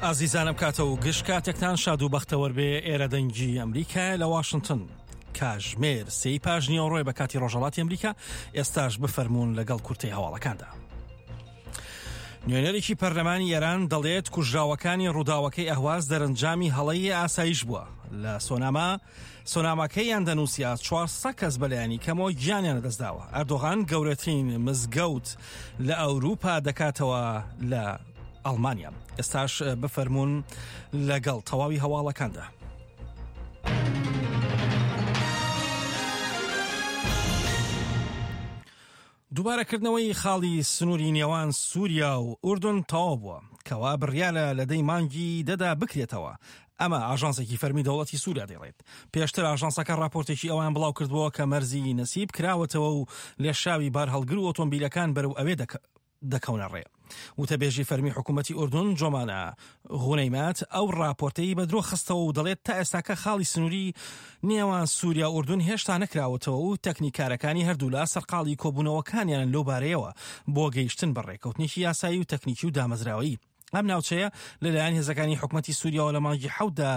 ئازیزانم کاتە و گشت کاتێکتان شاد و بەختەوەر بێ ئێرە دەنگی ئەمریکایە لە واشنتن کاژمێر سێی پاش نیوەڕۆی بە کاتی ڕۆژهەڵاتی ئەمریکا ئێستاش بفەرمونون لەگەڵ کورتەی هەواڵەکاندا. نوێنەرێکی پەرلەمانی ئێران دەڵێت کوژراوەکانی ڕووداوەکەی ئەهواز دەرەنجامی هەڵەی ئاسایش بووە لە سۆناما سۆناماکەی ئەندەنوسیا 400 کەس بەلایەنی کەمەوە گیانیان لەدەستداوە ئەردۆغان گەورەترین مزگەوت لە ئەوروپا دەکاتەوە لە ئەڵمانیا ئێستاش بفەرمونون لەگەڵ تەواوی هەواڵەکاندا. دووبارەکردنەوەی خاڵی سنووری نێوان سووریا و ئوردن تەواو بووە، کەوا بڕیارە لە دەی مانگی دەدا بکرێتەوە. ئەمە ئاژانسێکی فەرمی دەوڵەتی سووریا دەیڵێت. پێشتر ئاژانسەکە ڕاپۆرتێکی ئەوان بڵاو کردبووە کە مەرزی نەسیب کراوەتەوە و لێشاوی بارهەڵگر و ئۆتۆمبیلەکان بەرەو ئەوێ دەکەونە ڕێ. وتەبێژی فەرمی حکوومەتی ئوردن جۆمانە غونەیمات ئەو راپۆرتەی بە درۆ خستەوە و دەڵێت تا ئێستاکە خاڵی سنووری نێوان سووریا و ئوردن هێشتا نەکراوەتەوە و تەکنیکارەکانی هەردوولا سەرقاڵی کۆبوونەوەکانیانن لەو بارەیەوە بۆ گەیشتن بە ڕێککەوتنێکی یاسایی و تەکنیکی و دامەزراوەیی. ئەم ناوچەیە لەلایەن هێزەکانی حکومەتی سووریاوە لە مانگی حەوتدا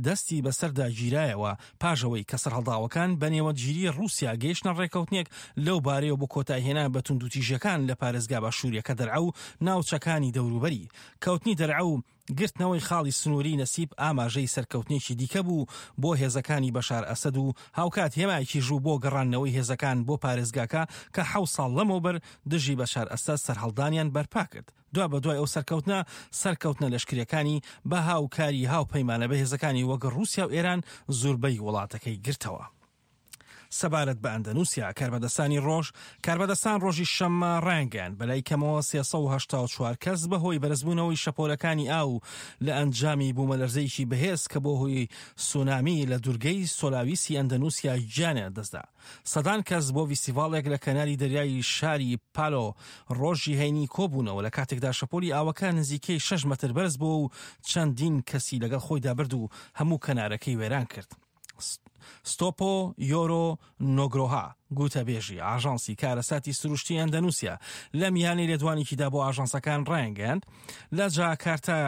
دەستی بەسەردا گیرایەوە، پاش ئەوەی کە سەرهەڵداوەکان بە نێوەندگیری ڕووسیا گەیشتنە ڕێککەوتنێک لەو بارەیەوە بۆ کۆتاییهێنان بە توندوتیژییەکان لە پارێزگا باشوورییەکە دەرعا و ناوچەکانی دەوروبەری. کەوتنی دەرعا و گرتنەوەی خاڵی سنووریی نەسیب ئاماژەی سەرکەوتنێکی دیکە بوو بۆ هێزەکانی بەشار ئەسەد و هاوکات هێمایەکیش بوو بۆ گەڕاندنەوەی هێزەکان بۆ پارێزگاکە کە حەوت ساڵ لەمەوبەر دژی بەشار ئەسەد سەرهەڵدانیان بەرپا کرد. دوابەدوای ئەو سەرکەوتنە، سەرکەوتنە لەشکرییەکانی بە هاوکاری هاوپەیمانە بەهێزەکانی وەک ڕووسیا و ئێران زوربەی وڵاتەکەی گرتەوە. سەبارەت بە ئەندەنوسیا، کاربەدەستانی ڕۆژ کاربەدەستان ڕۆژی شەممە ڕایانگەیاند، بەلای کەمەوە 384 کەس بەهۆی بەرزبوونەوەی شەپۆلەکانی ئاو لە ئەنجامی بوومەلەرزەیەکی بەهێز کە بۆ هۆی سونامی لە دورگەی سۆلاویسی ئەندەنوسیا گیانیان لەدەستدا. سەدان کەس بۆ ڤیستیڤاڵێک لە کەناری دەریای شاری پالۆ ڕۆژی هەینی کۆبوونەوە لە کاتێکدا شەپۆلی ئاوەکە نزیکەی 6 مەتر بەرز بووە و چەندین کەسی لەگەڵ خۆیدا برد و هەموو کەنارەکەی وێران کرد. ستۆپۆ یۆرۆ نۆگرۆها گوتەبێژی ئاژانسی کارەساتی سروشتی ئەندەنوسیا لە میانی لێدوانێکیدا بۆ ئاژانسەکان ڕایانگەیاند لە جاکارتا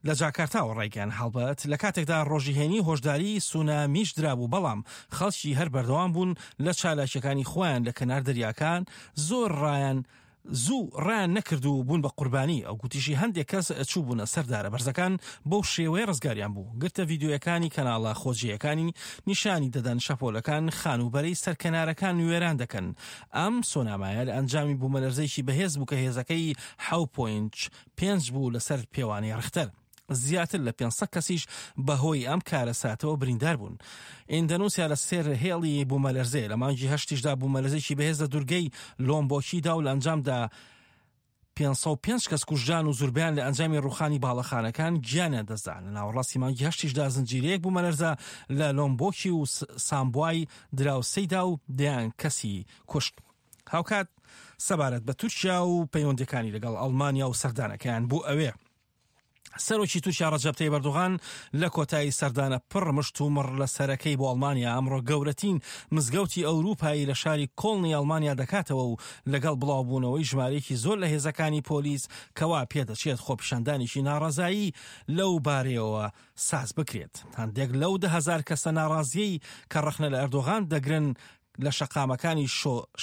لە جاکارتاوە ڕایگەیاند، هەڵبەت لە کاتێکدا ڕۆژی هەینی هۆشداریی سونامیش درابوو، بەڵام خەڵکی هەر بەردەوام بوون لە چالاکییەکانی خۆیان لە کەنار دەریاکان، زۆر ڕایان زوو ڕایان نەکرد و بوون بە قوربانی. ئەو گوتیشی هەندێک کەس چووبوونە سەر دارە بەرزەکان، بەو شێوەیە ڕزگاریان بوو. گرتە ڤیدیۆیەکانی کەناڵە خۆجێیەکانی نیشانی دەدەن شەپۆلەکان خانووبەرەی سەر کەنارەکان وێران دەکەن. ئەم سۆنامایە لە ئەنجامی بوومەلەرزەیەکی بەهێز بوو کە هێزەکەی حەو پۆینت پێنج بوو لەسەر پێوانەی ڕیختەر. زیاتر لە 500 کەسیش بەهۆی ئەم کارەساتەوە بریندار بوون. ئیندەنوسیا لە سێر هێڵی بوومەلەرزەیە. لە مانگی هەشتیشدا بوومەلەرزێکی بەهێز لە دوورگەی لۆمبۆکی دا و لە ئەنجامدا 505 کەس کوژران و زوربەیان لە ئەنجامی ڕووخانی باڵەخانەکان گیانیان دەستدا. لە ناوەڕاستی مانگی هەشتیشدا زنجیرەیەک بوومەلەرزە لە لۆمبۆکی و سامبوای دراوسێیدا و دەیان کەسی کوشت. هاوکات سەبارەت بە تورکیا و پەیوەندیەکانی لەگەڵ ئەڵمانیا و سەردانەکەیان بۆ ئەوێ سەرۆکی تورکیا ڕەجەب تەیب ئەردۆغان لە کۆتایی سەردانە پڕ مشت و مڕ لە سەرەکەی بۆ ئەڵمانیا ئەمڕۆ گەورەترین مزگەوتی ئەوروپایی لە شاری کۆڵنی ئەڵمانیا دەکاتەوە و لەگەڵ بڵاوبوونەوەی ژمارەیەکی زۆر لە هێزەکانی پۆلیس کەوا پێدەچێت خۆپیشاندانێکی ناڕەزایی لەو بارەیەوە ساز بکرێت. هەندێک لەو 10,000 کەسە ناڕازیەی کە ڕەخنە لە ئەردۆغان دەگرن لە شەقامەکانی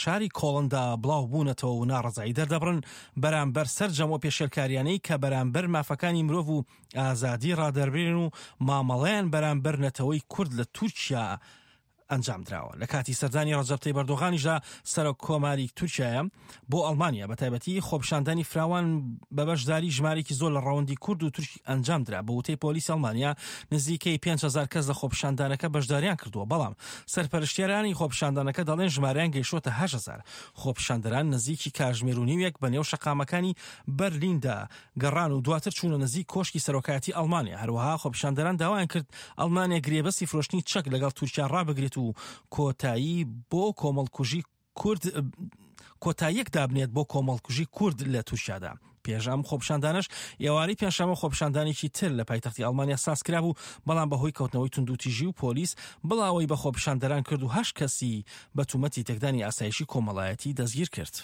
شاری کۆڵندا بڵاو بوونەتەوە و ناڕەزایی دەردەبڕن بەرامبەر سەرجەم ئەو پێشێلکاریانەی کە بەرامبەر مافەکانی مرۆڤ و ئازادی ڕادەربرێن و مامەڵەیان بەرامبەر نەتەوەی کورد لە تورکیا ئەنجام دراوە. لە کاتی سەردانی ڕەجەب تەیب ئەردۆغانیشدا سەرۆک کۆماری تورکیایە بۆ ئەڵمانیا بە تایبەتی خۆپیشاندانی فراوان بە بەشداری ژمارێکی زۆر لە ڕەوەندی کورد و تورکی ئەنجام درا. بە وتەی پۆلیسی ئەڵمانیا نزیکەی 5000 کەس لە خۆپیشاندانەکە بەشداریان کردووە، بەڵام سەرپەرشتیارانی خۆپیشاندانەکە دەڵێن ژمارەیان گەیشتووەتە 8000. خۆپیشاندەران نزیکی کاژمێر و نیوێک بە نێو شەقامەکانی بەرلیندا گەڕان و دواتر چوونە نزیک کۆشکی سەرۆکایەتی ئەڵمانیا. هەروەها خۆپیشاندەران داوایان کرد ئەڵمانیا گرێبەستی فرۆشتنی چەک لەگەڵ تورکیا ڕابگرێت و کۆتایی بۆ کۆمەڵکوژی کورد کۆتاییەک دابنێت بۆ کۆمەڵکوژی کورد لە تورکیادا. پێش ئەم خۆپیشاندانەش ئێوارەی پێنجشەممە خۆپیشاندانێکی تر لە پایتەختی ئەڵمانیا سازکرابوو، بەڵام بەهۆی کەوتنەوەی توندوتیژی و پۆلیس بڵاوەی بە خۆپیشاندەران کرد و هەشت کەسی بە تومەتی تێکدانی ئاسایشی کۆمەڵایەتی دەستگیر کرد.